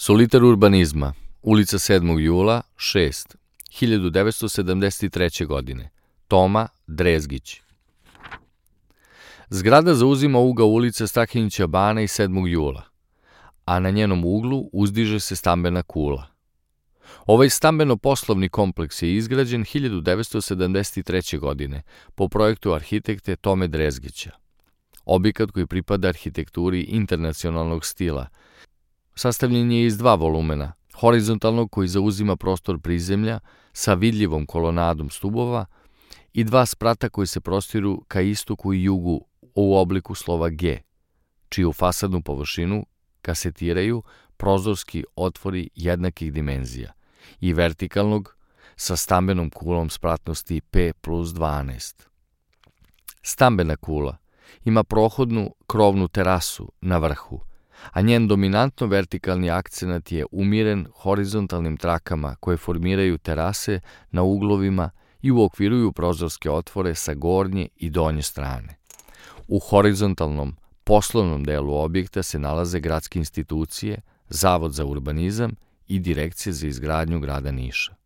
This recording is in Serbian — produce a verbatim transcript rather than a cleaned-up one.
Solitar urbanizma, ulica sedmog jula, šest, hiljadu devetsto sedamdeset treće. godine. Toma Drezgić. Zgrada zauzima ugao ulice Strahinjića Bana i sedmog jula, a na njenom uglu uzdiže se stambena kula. Ovaj stambeno-poslovni kompleks je izgrađen hiljadu devetsto sedamdeset treće. godine po projektu arhitekte Tome Drezgića. Objekat koji pripada arhitekturi internacionalnog stila sastavljen je iz dva volumena, horizontalnog koji zauzima prostor prizemlja sa vidljivom kolonadom stubova i dva sprata koji se prostiru ka istoku i jugu u obliku slova G, čiju fasadnu površinu kasetiraju prozorski otvori jednakih dimenzija, i vertikalnog sa stambenom kulom spratnosti P plus dvanaest. Stambena kula ima prohodnu krovnu terasu na vrhu, a njen dominantno vertikalni akcenat je umiren horizontalnim trakama koje formiraju terase na uglovima i uokviruju prozorske otvore sa gornje i donje strane. U horizontalnom poslovnom delu objekta se nalaze gradske institucije, Zavod za urbanizam i Direkcija za izgradnju grada Niša.